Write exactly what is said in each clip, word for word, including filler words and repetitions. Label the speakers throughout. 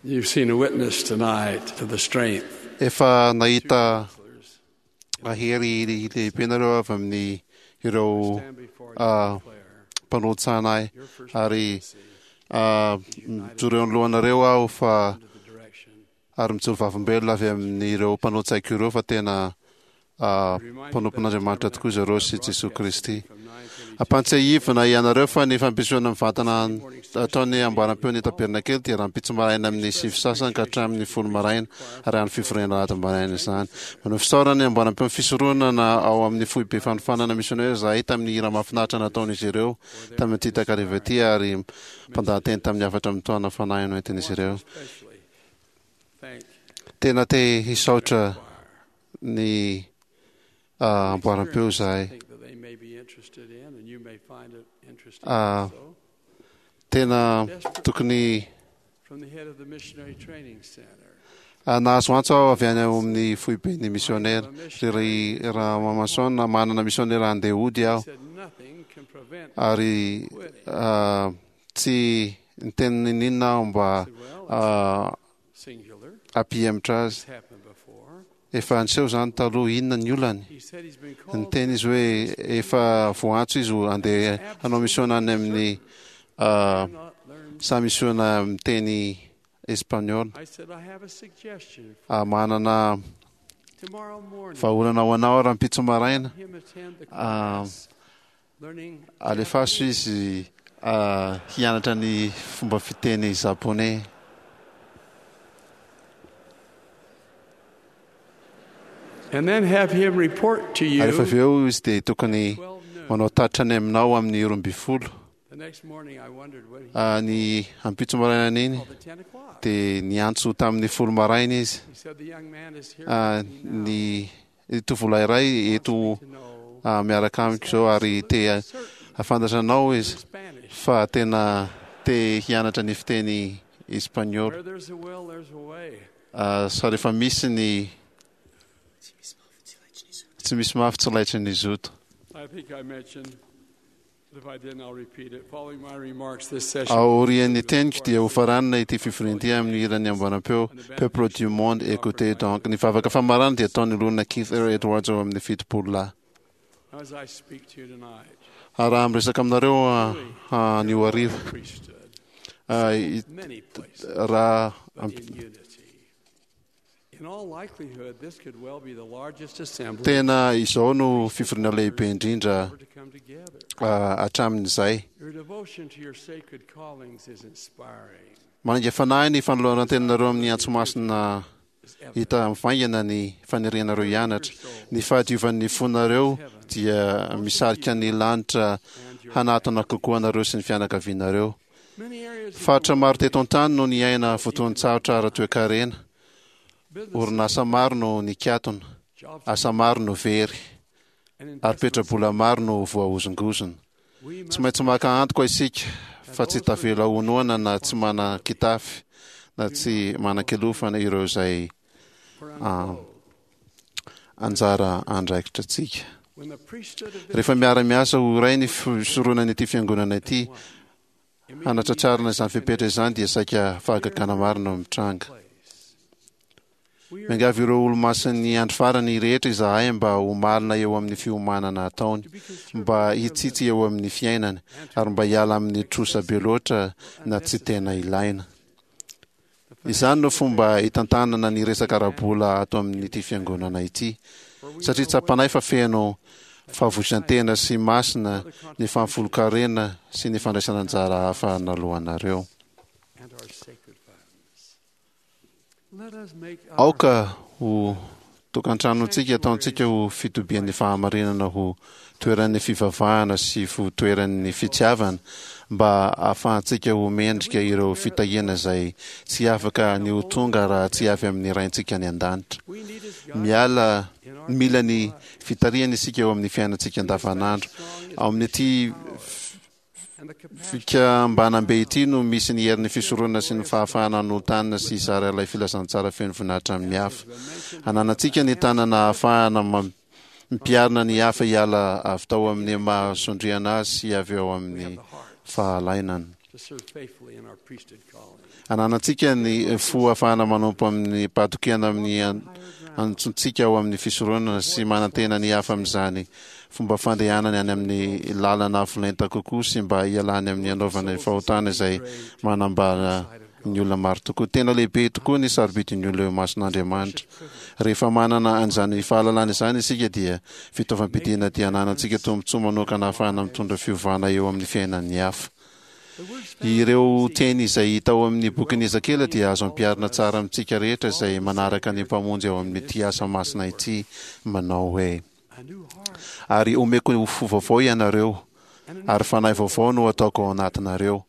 Speaker 1: You've seen a witness tonight to the strength.
Speaker 2: Efa nahita hery lehibe nareo avy amin'ny ireo mpanolo-tsaina ahy, ary mijoro eo anoloanareo aho fa ary mijoro vavolombelona avy amin'ireo mpanolo-tsaiko ireo fa tena mpanompon'Andriamanitra tokoa izy ireo sy Jesoa Kristy. Ampantsiahivina ianareo fa ny fampisehoana mivantana ataon'ny amboaram-peon'ny Tabernakely dia rahampitso maraina amin'ny sivy sasany ka hatramin'ny folo maraina, ary any fivoriana alahady maraina izany. Manao fisaorana ny amboaram-peon'ny fisoronana ao amin'ny foibe fanofanana misionera izahay tamin'ny hira mahafinaritra nataon'izy ireo tamin'ity takariva ity ary mpandahateny tamin'ny hafatra mitohana fanahy noentin'izy ireo. Tena te hisaotra ny amboaram-peo izahay. Tena tokony nahazo antso aho avy any amin'ny foiben'ny misionera. Ry Ramamason, manana misionera handeha hody aho, ary tsy niteny n'inon'inona aho mba hampihemotra azy. Efa niseho izany taloha, inona ny olany? Niteny izy hoe efa voantso izy handeha hanao misiona any amin'ny saha misiona miteny espaniola. Manana vahaolana ho anao rahampitso maraina. Alefaso izy hianatra ny fomba fiteny japoney.
Speaker 1: And then have him report to you.
Speaker 2: Ary rehefa avy eo izy dia tokony manao tatitra any aminao amin'ny roa ambin'ny folo. Ny ampitso maraina iny dia niantso tamin'ny folo maraina izy. Ny tovolahy iray eto miaraka amiko izao ary te hahafantatra anao izy fa tena te hianatra ny fiteny espaniola. Sa rehefa misy ny tsy misy mafy tsy laitry ny zoto. Aorian'ny teniko dia hofaranana ity fivoriana ity amin'ny hiran'ny amboaram-peo Peuple du monde, écoutez donc. Ny vavaka famarana dia ataon'ny loholona Keith R. Edwards ao amin'ny fitopolo lahy. Ary raha miresaka aminareo anio hariva, raha Tena izao no fivoriana lehibe indrindra hatramin'izay. Manainga fanahy ny fanoloran-tenanareo amin'ny antso masina hita mivaingana ny fanirianareo hianatra. Ny fahadiovan'ny fonareo dia misarika ny lanitra hanatona kokoa anareo sy ny fianakavianareo. Faritra maro teto an-tany no niaina fotoan-tsarotra ara-toekarena. Orinasa maro no nikatona, asa maro no very, ary petra-bola maro no voahozongozona. Tsy maintsy maka antoka isika fa tsy tavela ho noana na tsy manan-kitafy na tsy manan-kilofana ireo izay anjara andraikitra antsika. Rehefa miara-miasa ho iray ny fisoronan'ity fiangonana ity, hanatratrarana izany fepetra izany dia saika fahagagana marina no mitranga. Miangavy ireo olomasin'ny andro farany rehetra izahay mba ho malina eo amin'ny fiomanana ataony, mba hitsitsy eo amin'ny fiainany, ary mba hiala amin'ny trosa be loatra na tsy tena ilaina. Izany no fomba hitantanana ny resaka ara-bola ato amin'ity fiangonana ity, satria tsapanay fa feno fahavoizan-tena sy masina ny fahafolon-karena sy ny fandraisana anjara hafa naloanareo. Aoka ho tokantranontsika ataontsika ho fitobian'ny fahamarinana, ho toeran'ny fivavahana sy ho toeran'ny fitiavana, mba hahafahantsika ho mendrika ireo fitahiana izay tsy afaka ny ho tonga raha tsy avy amin'ny Raintsika any an-danitra. Miala, mila ny fitarihana isika eo amin'ny fiainantsika andavanandro. Ao amin'ity fikambanam-be ity no misy ny herin'ny fisoronana sy ny fahafahana hanolo-tanana sy hizara ilay filazantsara feno voninahitra amin'ny hafa. Ananantsika ny tanana ahafahana mampiarina ny hafa hiala avy tao amin'ny maha sondriana azy sy avy ao amin'ny fahalainana. Ananantsika ny fo ahafahana manompo amin'ny fahatokiana amin'ny antsontsika ao amin'ny fisoronana sy manantena ny hafa amin'izany fomba fandehanany any amin'ny lalana avo lenta kokoa sy mba hialany amin'ny anaovana fahotana izay manambara ny olona maro tokoa. Tena lehibe tokoa ny sarobidin'ny olona eo imason'Andriamanitra. Rehefa manana an'izany fahalalana izany isika dia fitaovam-piadiana dia ananantsika tombontsoa manokana ahafahana mitondra fiovana eo amin'ny fiainan'ny hafa. Ireo teny izay hita ao amin'ny bokin'i Ezekiela dia azo ampiharina tsara amintsika rehetra izay manaraka ny Mpamonjy ao amin'ity asa masina ity, manao hoe: Ary omeko fo vaovao ianareo, ary fanahy vaovao no ataoko ao anatinareo,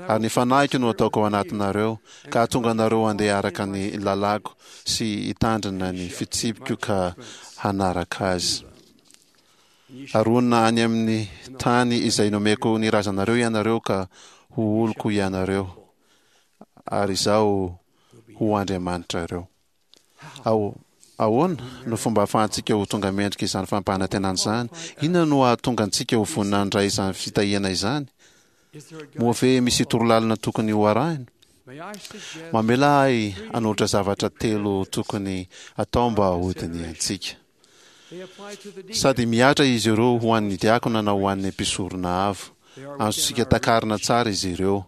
Speaker 2: ary ny fanahiko no ataoko ao anatinareo, ka hahatonga anareo handeha araka ny lalàko sy hitandrina ny fitsipiko ka hanaraka azy. Ary honina any amin'ny tany izay nomeko ny razanareo ianareo, ka ho oloko ianareo, ary Izaho ho Andriamanitrareo. Ao, ahoana no fomba ahafahantsika ho tonga mendrika izany fampanantenana izany? Inona no hahatonga antsika ho vonona handray izany fitahiana izany? Moa ve misy torolalana tokony ho arahina? Mamela ahy hanolotra zavatra telo tokony atao mba hodinihantsika. Sady mihatra izy ireo ho an'ny diakona na ho an'ny mpisorona avo. Azontsika takarina tsara izy ireo.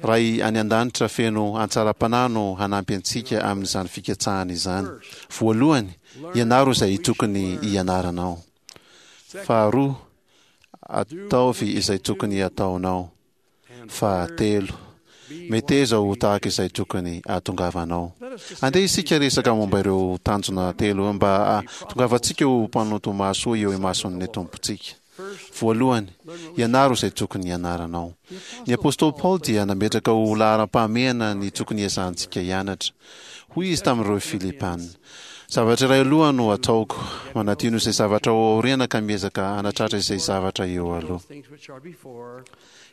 Speaker 2: Ray any an-danitra feno hatsaram-panahy no hanampy antsika amin'izany fikatsahana izany. Voalohany, ianaro izay tokony hianaranao. Faharoa, ataovy izay tokony hataonao. Fahatelo, meteza ho tahaka izay tokony hahatongavanao. Andeha isika resaka momba ireo tanjona telo mba hahatongavantsika ho mpanompo mahasoa eo imason'ny Tompontsika. Voalohany, ianaro izay tokony hianaranao. Ny apostoly Paoly dia nametraka ho laharam-pahamehana ny tokony hiezahantsika hianatra. Hoy izy tamin'ireo Filipana: Zavatra iray aloha no ataoko, manadino izay zavatra ao aoriana ka miezaka hanatratra izay zavatra eo aloha.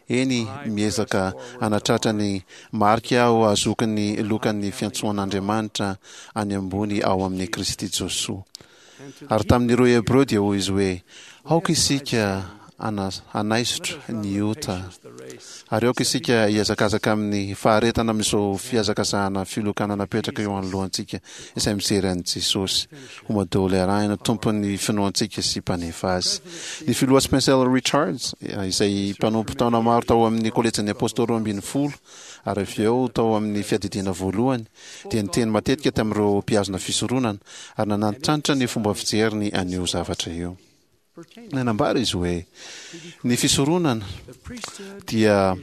Speaker 2: Eny, miezaka hanatratra ny marika aho hahazoako ny lokan'ny fiantsoan'Andriamanitra any ambony ao amin'i Kristy Josoa. Ary tamin'ireo Hebreo dia hoy izy hoe: Aoka isika hanaisotra ny ota, ary aoka isika hihazakazaka amin'ny faharetana amin'izao fihazakazahana filokana napetraka eo anoloantsika izay mijery an'i Jesosy ho madoly arahina, Tompon'ny finoantsika sy Mpanefa azy. Ny filoha Spencer Richards, izay mpanompo taona maro tao amin'ny Kolejin'ny Apostoly Roa Ambin'ny Folo ary avy eo tao amin'ny Fiadidiana Voalohany, dia niteny matetika tamin'ireo mpihazona fisoronana ary nanantitrantitra ny fomba fijeriny an'io zavatra io. Nanambara izy hoe, Ny fisoronana dia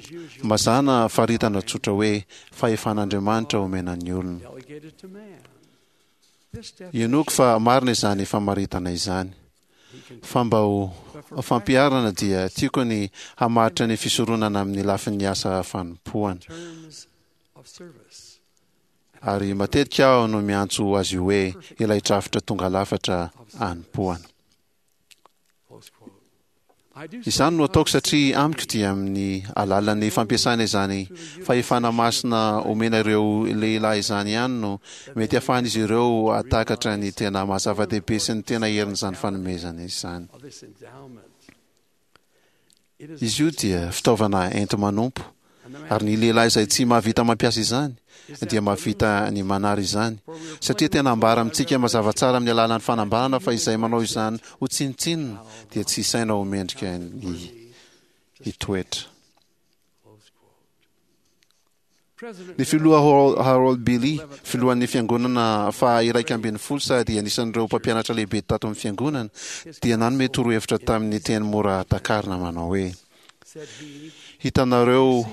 Speaker 2: mazàna faritana tsotra hoe fahefan'Andriamanitra omena ny olona. Inoako fa marina izany famaritana izany. Fa mba ho fampiharana dia tiako ny hamaritra ny fisoronana amin'ny lafin'ny asa fanompoana. Ary matetika aho no miantso azy io hoe ilay drafitra tonga lafatra anompoana. Izany no ataoko satria amiko dia amin'ny alalan'ny fampiasana izany fahefana masina omena ireo lehilahy izany ihany no mety hahafahan'izy ireo hahatakatra ny tena maha-zava-dehibe sy ny tena herin'izany fanomezana izany. Izy io dia fitaovana enti-manompo, ary ny lehilahy izay tsy mahavita mampiasa izany dia mahavita ny manary izany, satria tena ambara amintsika mazava tsara amin'ny alalan'ny fanambarana fa izay manao izany ho tsinontsinona dia tsy isaina ho mendrika ny hitoetra. Ny filoha Harold Billy, filohan'ny Fiangonana faha-iraika ambin'ny folo sady anisan'ireo mpampianatra lehibe tato amin'ny Fiangonana, dia nanome torohevitra tamin'ny teny mora takarina manao hoe, Hitanareo,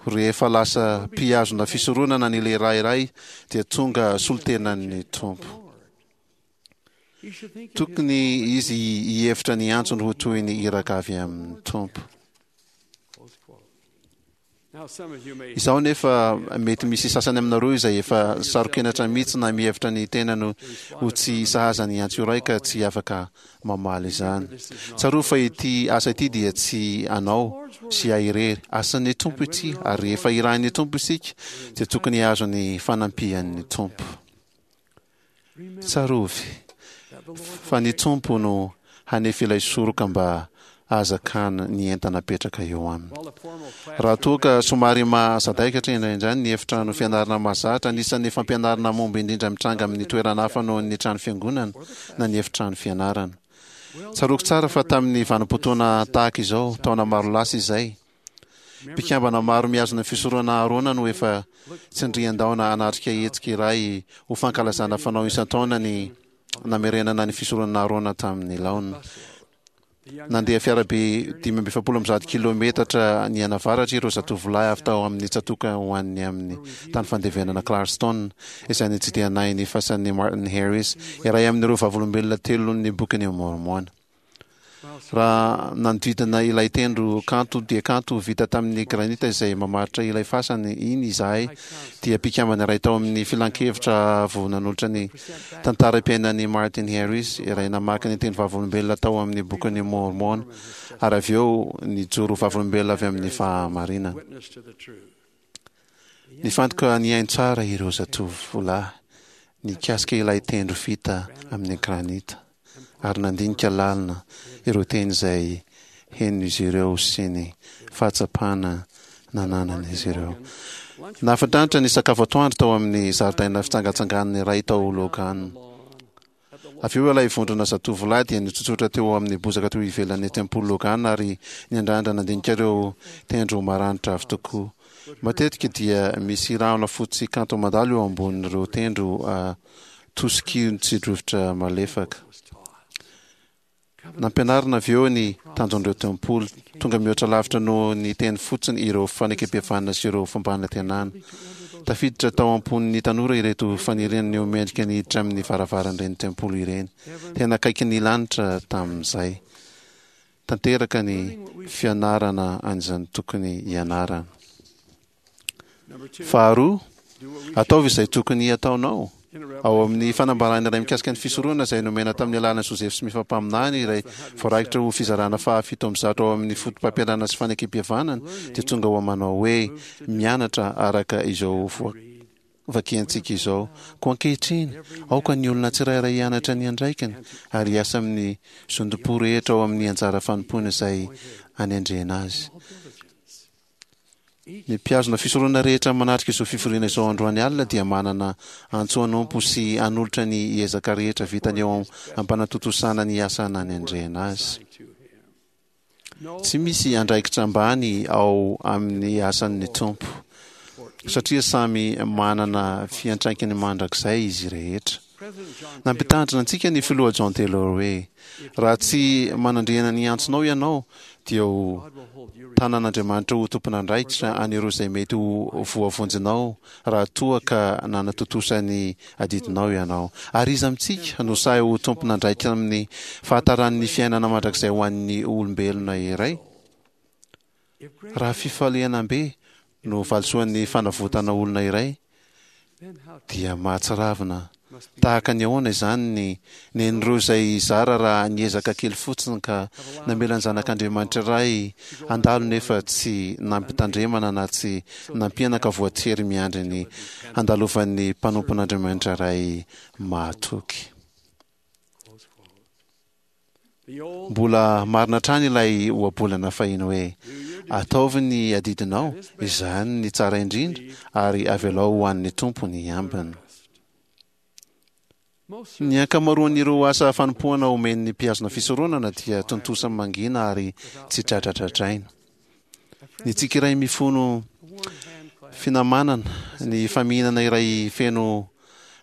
Speaker 2: rehefa lasa mpihazona fisoronana ny lehilahy iray dia tonga solontenan'ny Tompo. Tokony izy hihevitra ny antsony ho toy ny iraka avy amin'ny Tompo. Izaho anefa, mety misy sasany aminareo izay efa saro-kenatra mihitsy na mihevitra ny tenany ho tsy sahaza ny antso iray ka tsy afaka mamaly izany. Tsarovy fa ity asa ity dia tsy anao sy ahy irery. Asan'ny Tompo ity, ary rehefa irahin'ny Tompo isika dia tokony hahazo ny fanampian'ny Tompo. Tsarovy fa ny Tompo no hanefy ilay soroka mba ahazakana ny entana apetraka eo aminy. Raha toa ka somary mahasadaikatra indraindray ny efitrano fianarana mahazatra, anisan'ny fampianarana momba indrindra mitranga amin'ny toerana hafa noho ny trano fiangonana na ny efitrano fianarana. Tsaroako tsara fa tamin'ny vanim-potoana tahaka izao, taona maro lasa izay, mpikambana maro mihazona ny fisoronana Aharôna no efa tsindrian-daona hanatrika hetsika iray ho fankalazana fanao isan-taona ny namerenana ny fisoronana Aharôna tamin'ny laoniny. Nandeha fiarabe dimy amby efapolo amby zato kilometatra nianavaratra ireo zatovolahy avy tao amin'ny tsatòka ho any amin'ny tany fandevenana Clarkston, izay nitsidihanay ny fasan'i Martin Harris, iray amin'ireo vavolombelona telon'ny Bokin'i Môrmôna. Raha nanodidina ilay tendro kanto dia kanto vita tamin'ny granita izay mamaritra ilay fasana iny izahay, dia mpikambana iray tao amin'ny filankevitra avo nanolotra ny tantaram-piainan'i Martin Harris, iray namaky ny teny vavolombelona tao amin'ny Bokin'i Môrmôna, ary avy eo nijoro vavolombelona avy amin'ny fahamarinana. Nifantoka nihaino tsara ireo zatovolahy nikasika ilay tendro vita amin'ny granita, ary nandinika lalina ireo teny izay henon'izy ireo sy ny fahatsapana nananan'izy ireo. Nahafinaritra ny sakafo atoandro tao amin'ny zaridaina fitsangatsanganana iray tao Logan. Avy eo ilay vondrona zatovolahy dia nitsotsotra teo amin'ny bozaka teo ivelan'ny tempoly Logan ary niandrandra nandinika ireo tendro maranitra avy tokoa. Matetika dia misy rahona fotsy kanto mandalo eo ambonin'ireo tendro atosiky ny tsi-drivotra malefaka. Nampianarina avy eo ny tanjon'ireo tempoly. Tonga mihoatra lavitra noho ny teny fotsiny ireo fanekempihavanana sy ireo fampanantenana. Tafiditra tao am-pon'ny tanora ireto faniriana ny ho mendrika ny hiditra amin'ny varavaran'ireny tempoly ireny. Tena akaiky ny lanitra tamin'izay. Tanteraka ny fianarana an'izany tokony hianarana. Faharoa, ataovy izay tokony hataonao. Ao amin'ny fanambarana iray mikasika ny fisoronana izay nomena tamin'ny alalan'i Joseph Smith mpaminany, iray voarakitra ho fizarana fahafito amby zato ao amin'ny fotopampianarana sy fanekempihavanana, dia tonga ho manao hoe mianatra araka izao vakiantsika izao. Koa ankehitriny, aoka ny olona tsirairay hianatra ny andraikiny ary hiasa amin'ny zotom-po rehetra ao amin'ny anjara fanompoana izay anendrena azy. Ny mpihazona fisoronana rehetra manatrika izao fivoriana izao androany alina dia manana antso hanompo sy hanolotra ny ezaka rehetra vitany eo am-panatontosana ny asa nanendrena azy. Tsy misy andraikitra ambany ao amin'ny asan'ny Tompo, satria samy manana fiantraikany mandrakizay izy rehetra. Nampitandrina antsika ny filoha John Taylor hoe, Raha tsy manandriana ny antsonao ianao, dia ho tanan'Andriamanitra ho tompon'andraikitra an'ireo izay mety ho voavonjinao raha toa ka nanatontosa ny adidinao ianao. Ary iza amintsika no sahy ho tompon'andraikitra amin'ny fahataran'ny fiainana mandrakizay ho an'ny olombelona iray? Raha fifalianam-be no valisoan'ny fanavotana olona iray, dia mahatsiravina tahaka ny ahoana izany ny nen'ireo izay zara raha niezaka kely fotsiny ka namela ny Zanak'Andriamanitra iray handalo nefa tsy nampitandremana na tsy nampiana ka voatery miandry ny handalovan'ny mpanompon'Andriamanitra iray mahatoky. Mbola marina hatrany ilay ohabolana fahiny hoe, Ataovy ny adidinao, izany ny tsara indrindra, ary avelao ho an'ny Tompo ny ambiny. Ny ankamaroan'ireo asa fanompoana omen'ny mpihazona fisoronana dia tontosa mangina ary tsy dradradradraina. Ny tsiky iray mifono finamanana, ny famihinana iray feno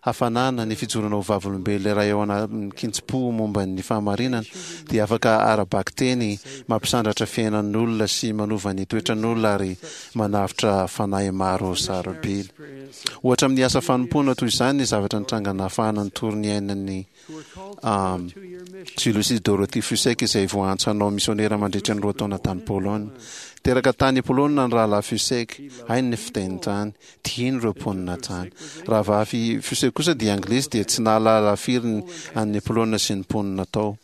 Speaker 2: hafanana, ny fijoroana ho vavolombelona iray ao anatin-kitsim-po momba ny fahamarinana dia afaka ara-bakiteny mampisandratra fiainan'olona sy manova ny toetran'olona ary manavotra fanahy maro sarobidy. Ohatra amin'ny asa fanompoana toy izany ny zavatra nitranga nahafahana nitory ny ainan'ny Julius sy Dorothy Fussek izay voaantso hanao misionera mandritra ny roa taona tany Polonina. Teraka tany Polonina ny rahalahy Fussek, hainy ny fiteny tany, tiany ireo mponina tany. Rahavavy Fussek kosa dia anglisy dia tsy nahalala firy ny an'ny Polonina sy ny mponina tao.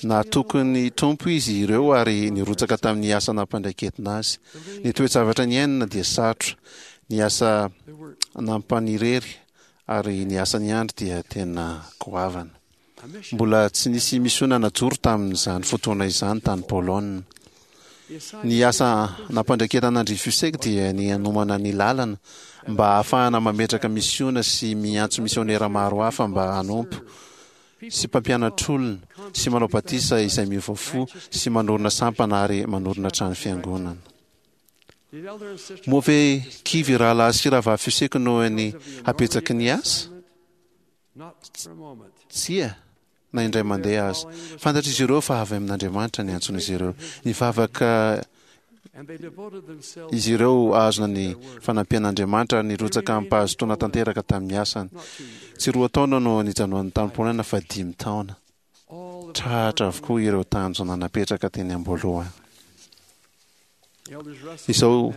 Speaker 2: Nahatoky ny Tompo izy ireo ary nirotsaka tamin'ny asa nampandraiketina azy. Ny toe-javatra niainana dia sarotra, ny asa nampanirery ary ny asa niandry dia tena goavana. Mbola tsy nisy misiona najoro tamin'izany fotoana izany tany Polonina. Ny asa nampandraiketana an-dry Fussek dia ny hanomana ny lalana mba hahafahana mametraka misiona sy miantso misionera maro hafa mba hanompo sy mpampianatr'olona sy manao batisa izay miova fo sy manorina sampana ary manorina trano fiangonana. Moa ve kivy rahalahy sy rahavavy Fussek noho ny habetsaky ny asa? Tsia, na indray mandeha aza. Fantatr'izy ireo fa avy amin'Andriamanitra ny antson'izy ireo. Nivavaka izy ireo ahazona ny fanampian'Andriamanitra ary nirotsaka amim-pahazotoana tanteraka tamin'ny asany. Tsy roa taona no nijanonany tany Polonina fa dimy taona. Tratra avokoa ireo tanjona napetraka teny am-boalohany. Izao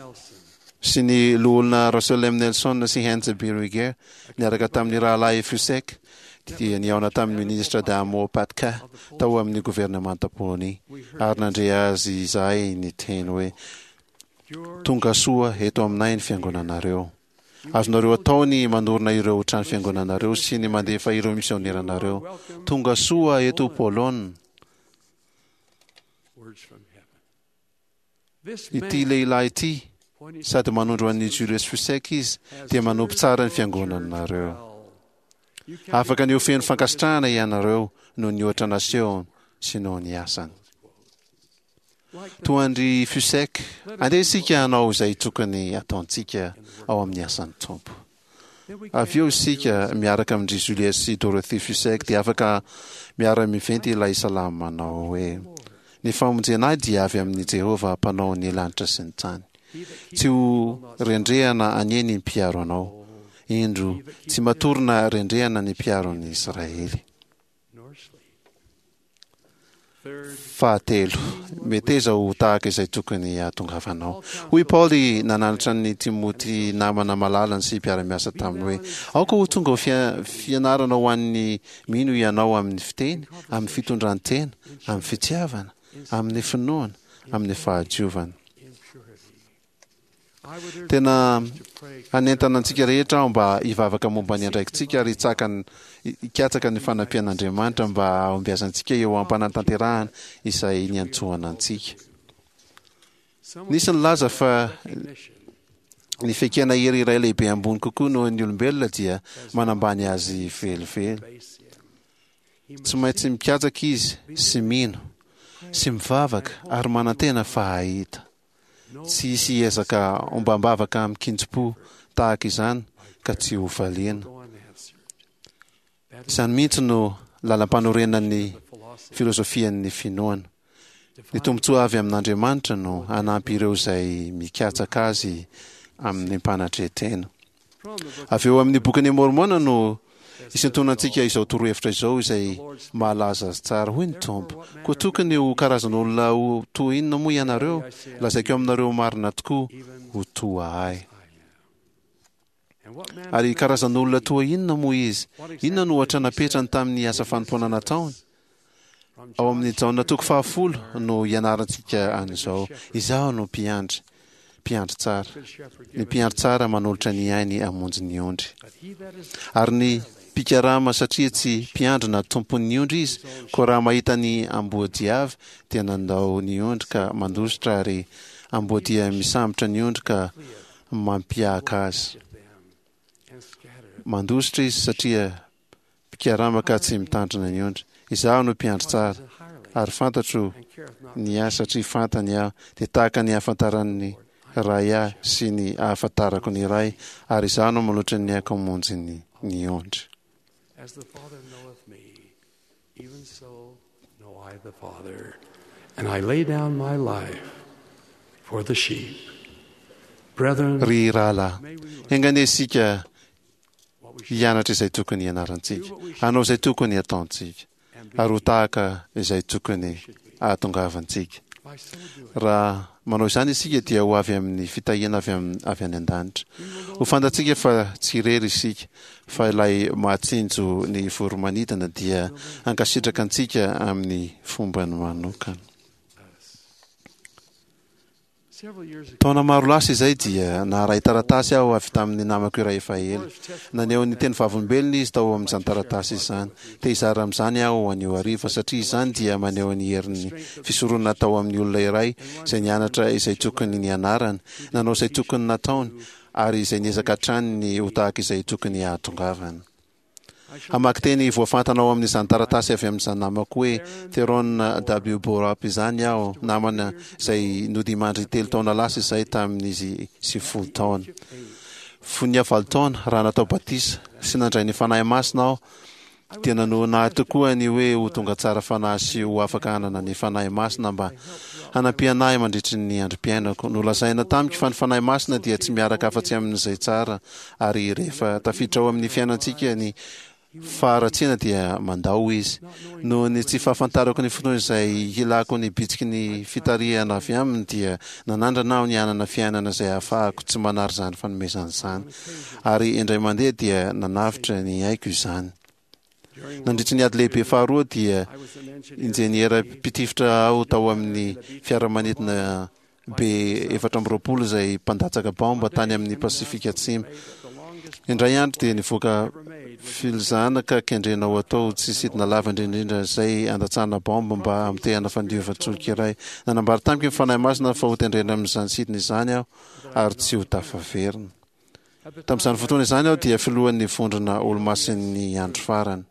Speaker 2: sy ny loholona Russell M. Nelson sy Heinz B. Ruger niaraka tamin'ny rahalahy Fussek dia nihaona tamin'ny minisitra Adamo Patka tao amin'ny governemanta Polonia ary nandre azy izahay niteny hoe: "Tonga soa eto aminay ny fiangonanareo. Azonareo atao ny manorina ireo trano fiangonanareo sy ny mandefa ireo misioneranareo. Tonga soa eto Polonina." Ity lehilahy ity, sady manondro an'i Julius Fussek izy, dia manompo tsara ny fiangonanareo. Afaka ny ho feno fankasitrahana ianareo noho ny ohatra nasehony sy noho ny asany. Toa an-dry Fussek, andeha isika hanao izay tokony hataontsika ao amin'ny asan'ny Tompo. Avy eo isika miaraka amin-dry Julius sy Dorothy Fussek dia afaka miara-miventy ilay salamo manao hoe: "Ny famonjena ahy dia avy amin'i Jehovah mpanao ny lanitra sy ny tany. Tsy ho rendrehana anie ny mpiaro anao. Indro, tsy matory na rendrehana ny mpiaro ny Israely." Fahatelo, meteza ho tahaka izay tokony hahatongavanao. Hoy Paoly nananatra an'i Timoty namana malalany sy mpiara-miasa taminy hoe: "Aoka ho tonga ho fianarana ho an'ny mino ianao amin'ny fiteny, amin'ny fitondran-tena, amin'ny fitiavana, amin'ny finoana, amin'ny fahadiovana." Tena hanentana antsika rehetra aho mba hivavaka momba ny andraikitsika ary hikatsaka ny fanampian'Andriamanitra mba hahombiazantsika eo am-panatanterahana izay niantsoana antsika. Nisy nilaza fa ny fiaikena hery iray lehibe ambony kokoa noho ny olombelona dia manambany azy velively. Tsy maintsy mikatsaka izy sy mino sy mivavaka ary manantena fa hahita. Tsy hisy hiezaka ombam-bavaka amin-kinjim-po tahaka izany ka tsy ho valiana. Izany mihitsy no lalam-panorenan'ny filozofian'ny finoana. Ny tombontsoa avy amin'Andriamanitra no hanampy ireo izay mikatsaka Azy amin'ny mpanatren-tena. Avy eo amin'ny Bokin'i Môrmôna no isintonantsika izao torohevitra izao izay mahalaza azy tsara. Hoy ny Tompo: "Koa tokony ho karazan'olona ho toa inona moa ianareo? Lazaiko aminareo marina tokoa, ho toa ahy." Ary karazan'olona toa inona moa izy? Inona no ohatra napetrany tamin'ny asa fanompoana nataony? Ao amin'ny Jaona toko fahafolo no ianarantsika an'izao: "Izaho no mpiandry, mpiandry tsara. Ny mpiandry tsara manolotra ny ainy hamonjy ny ondry. Ary ny mpikarama, satria tsy mpiandry na tompon'ny ondry izy, koa raha mahita ny amboadia avy, dia nandao ny ondry ka mandositra, ary amboadia misambotra ny ondry ka mampiaka azy. Mandositra izy satria mpikarama ka tsy mitandrina ny ondry. Izaho no mpiandry tsara, ary fantatro ny ahy satria fantany aho, dia tahaka ny ahafantaran'ny Ray ahy sy ny ahafantarako ny Ray, ary izaho no manolotra ny aiko hamonjy ny, ny ondry.
Speaker 1: As the Father knoweth me, even so know I the Father, and I lay down my life for the sheep. Brethren,
Speaker 2: Ry rahalahy,
Speaker 1: may we learn
Speaker 2: enga anie isika
Speaker 1: what we should
Speaker 2: hianatra izay tokony hianarantsika, hanao izay tokony hataontsika, ary ho tahaka izay tokony hahatongavantsika.
Speaker 1: by so doing.
Speaker 2: Raha manao izany isika dia ho avy amin'ny fitahiana avy am- avy any an-danitra. Ho fantatsika fa tsy irery isika, fa ilay mahatsinjo ny voromanidina dia hankasitraka antsika amin'ny fombany manokana. Taona maro lasa izay dia naharay taratasy aho avy tamin'ny namako iray efa ela. Naneho ny teny vavolombelona izy tao amin'izany taratasy izany. Te hizara amin'izany aho anio hariva satria izany dia maneho ny herin'ny fisoronana tao amin'ny olona iray izay nianatra izay tokony nianarany, nanao izay tokony nataony ary izay niezaka hatrany ny ho tahaka izay tokony hahatongavany. Hamaky teny voafantana ao amin'izany taratasy avy amin'izany namako hoe Theron W. Borup izany aho, namana izay nodimandry telo taona lasa izay tamin'izy sivifolo taona. Fony aho valo taona, raha natao batisa sy nandray ny Fanahy Masina aho, dia nanohina ahy tokoa ny hoe ho tonga tsara fanahy sy ho afaka hanana ny Fanahy Masina mba hanampiana ahy mandritry ny androm-piainako. Nolazaina tamiko fa ny Fanahy Masina dia tsy miaraka afa-tsy amin'izay tsara, ary rehefa tafiditra ao amin'ny fiainantsika ny faharatsiana dia mandao izy. Noho ny tsy fahafantarako ny fotoana izay hilako ny bitsiky ny fitarihana avy aminy dia nanandrana aho ny hanana fiainana izay ahafahako tsy manary izany fanomezana izany. Ary indray mandeha dia nanavotra ny aiko izany. Nandritry ny ady lehibe faharoa dia injeniera mpitifitra aho tao amin'ny fiaramanidina B efatra amby roapolo izay mpandatsaka baomba tany amin'ny Pasifika Atsimo. Indray andro dia nivoaka filzana ka kendrena ho atao tsy sidina lava indrindra izay andatsahana baomba mba hamotehana fandiovan-tsolika iray. Nanambara tamiko ny Fanahy Masina fa hotendrena amin'izany sidina izany aho ary tsy ho tafaverina. Tamin'izany fotoana izany aho dia filohan'ny vondrona Olomasin'ny Andro Farany.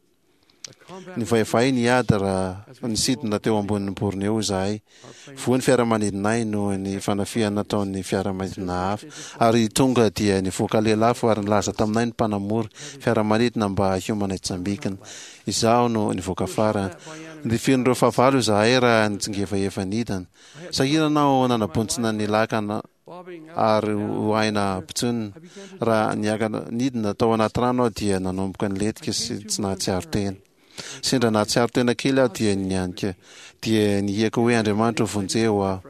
Speaker 2: Nivaivay ny ady raha nisidina teo ambonin'i Borneo izahay. Voa ny fiaramanidinay noho ny fanafihana nataon'ny fiaramanidina hafa, ary tonga dia nivoaka lelafo ary nilaza taminay ny mpanamory fiaramanidina mba hiomana hitsambikina. Izaho no nivoaka farany. Notifirin'ireo fahavalo izahay raha nitsingevaeva nidina. Sahirana aho nanabontsina ny lakana ary ho aina ampitsonina. Raha niakatra nidina tao anaty rano aho dia nanomboka nilentika sy tsy nahatsiaro tena. Sendra nahatsiaro tena kely aho dia nianika, dia nihiaka hoe Andriamanitra ô vonjeo aho.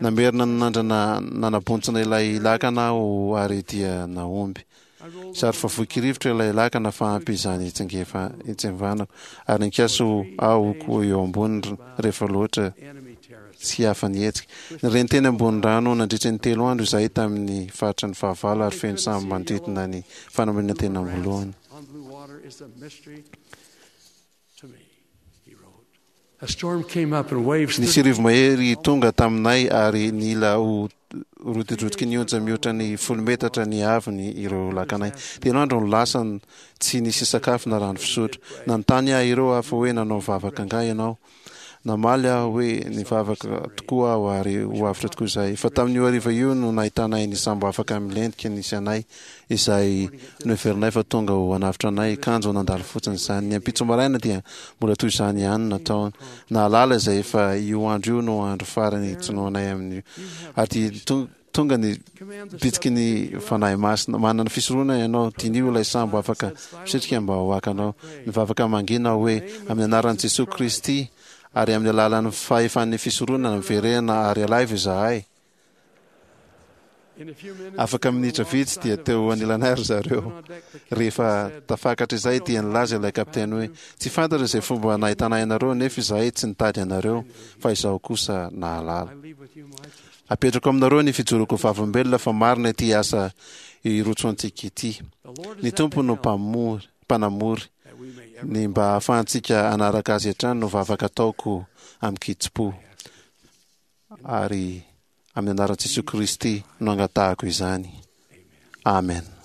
Speaker 2: Namerina nanandrana nanabontsina ilay lakana aho ary dia nahomby. Zary fa voky rivotra ilay lakana fa ampy izany hitsingefa hitsemvanako ary nikasa aho ho eo amboniny rehefa loatra tsy afa-nihetsika. Nireny teny ambony rano nandritra ny telo andro izahay tamin'ny faritra ny fahavalo ary feno sambo manodidina ny fanamariana tena voalohany. Nisy rivo-mahery tonga taminay ary nila ho rotidrotiky ny onja mihoatra ny folo metatra ny haavony ireo lakanay. Telo andro no lasa tsy nisy sakafo na rano fisotro. Nanontany ahy ireo hafa hoe nanao vavaka angaha ianao? Namaly aho hoe nivavaka tokoa aho ary ho avotra tokoa izahay. Fa tamin'io hariva io no nahitanay ny sambo afaka milentika nisy anay, izay noheverinay fa tonga ho hanavotra anay, kanjo nandalo fotsiny izany. Ny ampitso maraina dia mbola toy izany ihany no nataony. Nahalala izay fa io andro io no andro farany hitsinoanay amin'io. Ary dia tonga ny bitsiky ny Fanahy Masina. Manana fisoronana ianao, diniho ilay sambo afaka misitrika mba ho hakanao. Nivavaka mangina aho hoe, Amin'ny anaran'i Jesoa Kristy ary amin'ny alalan'ny fahefan'ny fisoronana, miverena ary alaivo izahay. Afaka minitra vitsy dia teo anilanay ry zareo. Rehefa tafakatra izay dia nilaza ilay kapiteny hoe, Tsy fantatra izay fomba nahitanay anareo nefa izahay tsy nitady anareo, fa izaho kosa nahalala. Apetrako aminareo ny fijoroako vavolombelona fa marina ity asa irotsoantsika ity. Ny Tompo no mpamory, mpanamory. Ny mba hahafahantsika hanaraka Azy hatrany no vavaka ataoko amin-kitsim-po. Ary amin'ny anaran'i Jesoa Kristy no angatahako izany. Amen.